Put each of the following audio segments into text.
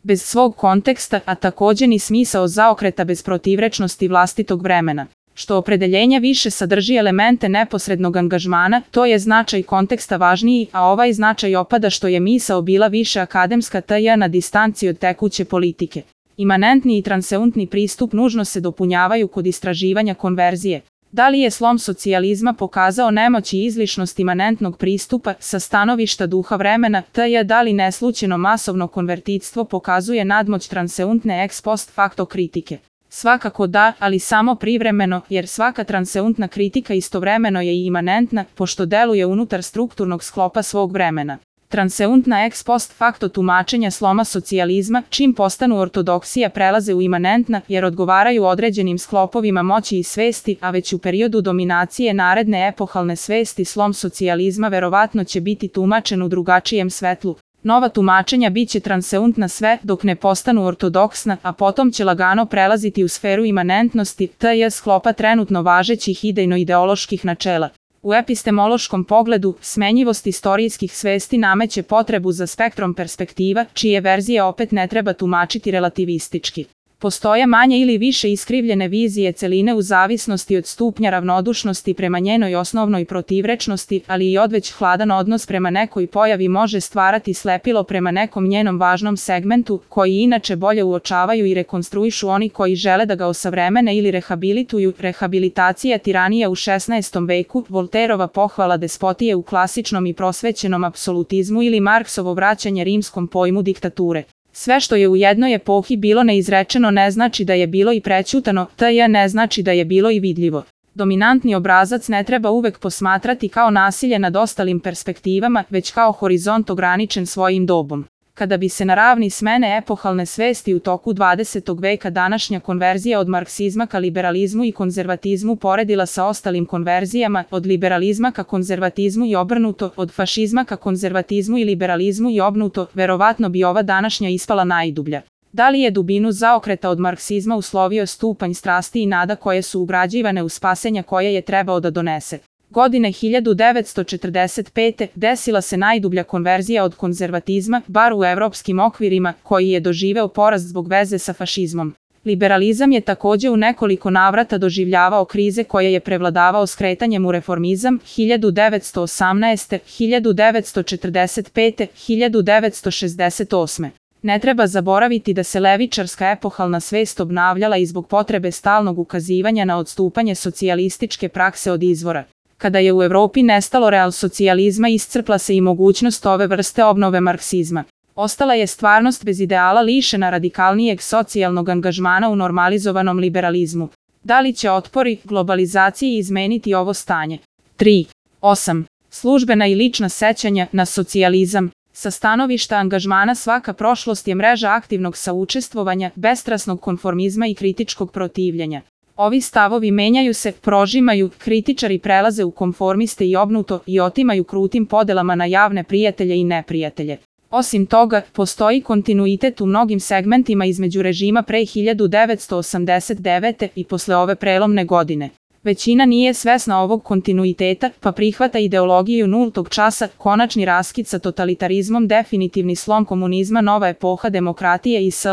bez svog konteksta, a takođe ni smisao zaokreta bez protivrečnosti vlastitog vremena. Što opredeljenja više sadrži elemente neposrednog angažmana, to je značaj konteksta važniji, a ovaj značaj opada što je misao bila više akademska t.j. na distanci od tekuće politike. Imanentni i transeuntni pristup nužno se dopunjavaju kod istraživanja konverzije. Da li je slom socijalizma pokazao nemoć i izlišnost imanentnog pristupa sa stanovišta duha vremena, t.j. da li neslućeno masovno konvertitstvo pokazuje nadmoć transeuntne ex post facto kritike? Svakako da, ali samo privremeno, jer svaka transeuntna kritika istovremeno je i imanentna, pošto deluje unutar strukturnog sklopa svog vremena. Transeuntna ex post facto tumačenja sloma socijalizma, čim postanu ortodoksija, prelaze u imanentna, jer odgovaraju određenim sklopovima moći i svesti, a već u periodu dominacije naredne epohalne svesti slom socijalizma verovatno će biti tumačen u drugačijem svetlu. Nova tumačenja biće transeuntna sve dok ne postanu ortodoksna, a potom će lagano prelaziti u sferu imanentnosti, t.j. sklopa trenutno važećih idejno-ideoloških načela. U epistemološkom pogledu, smenjivost istorijskih svesti nameće potrebu za spektrom perspektiva, čije verzije opet ne treba tumačiti relativistički. Postoje manje ili više iskrivljene vizije celine u zavisnosti od stupnja ravnodušnosti prema njenoj osnovnoj protivrečnosti, ali i odveć hladan odnos prema nekoj pojavi može stvarati slepilo prema nekom njenom važnom segmentu, koji inače bolje uočavaju i rekonstruišu oni koji žele da ga osavremene ili rehabilituju. Rehabilitacija tiranije u 16. veku, Volterova pohvala despotije u klasičnom i prosvećenom apsolutizmu ili Marksovo vraćanje rimskom pojmu diktature. Sve što je u jednoj epohi bilo neizrečeno ne znači da je bilo i prećutano, t.j. ne znači da je bilo i vidljivo. Dominantni obrazac ne treba uvek posmatrati kao nasilje nad ostalim perspektivama, već kao horizont ograničen svojim dobom. Kada bi se na ravni smene epohalne svesti u toku 20. veka današnja konverzija od marksizma ka liberalizmu i konzervatizmu poredila sa ostalim konverzijama, od liberalizma ka konzervatizmu i obrnuto, od fašizma ka konzervatizmu i liberalizmu i obrnuto, verovatno bi ova današnja ispala najdublja. Da li je dubinu zaokreta od marksizma uslovio stupanj strasti i nada koje su ugrađivane u spasenja koje je trebao da donese? Godine 1945. desila se najdublja konverzija od konzervatizma, bar u evropskim okvirima, koji je doživeo porast zbog veze sa fašizmom. Liberalizam je takođe u nekoliko navrata doživljavao krize koje je prevladavao skretanjem u reformizam 1918., 1945., 1968. Ne treba zaboraviti da se levičarska epohalna svest obnavljala i zbog potrebe stalnog ukazivanja na odstupanje socijalističke prakse od izvora. Kada je u Evropi nestalo realsocijalizma, iscrpla se i mogućnost ove vrste obnove marksizma. Ostala je stvarnost bez ideala lišena radikalnijeg socijalnog angažmana u normalizovanom liberalizmu. Da li će otpori globalizaciji izmeniti ovo stanje? 3.8. Službena i lična sećanja na socijalizam. Sa stanovišta angažmana svaka prošlost je mreža aktivnog saučestvovanja, bestrasnog konformizma i kritičkog protivljenja. Ovi stavovi menjaju se, prožimaju, kritičari prelaze u konformiste i obrnuto i otimaju krutim podelama na javne prijatelje i neprijatelje. Osim toga, postoji kontinuitet u mnogim segmentima između režima pre 1989. i posle ove prelomne godine. Većina nije svesna ovog kontinuiteta, pa prihvata ideologiju nultog časa, konačni raskid sa totalitarizmom, definitivni slom komunizma, nova epoha demokratije i sl.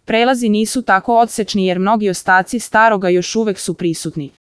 Prelazi nisu tako odsečni jer mnogi ostaci staroga još uvek su prisutni.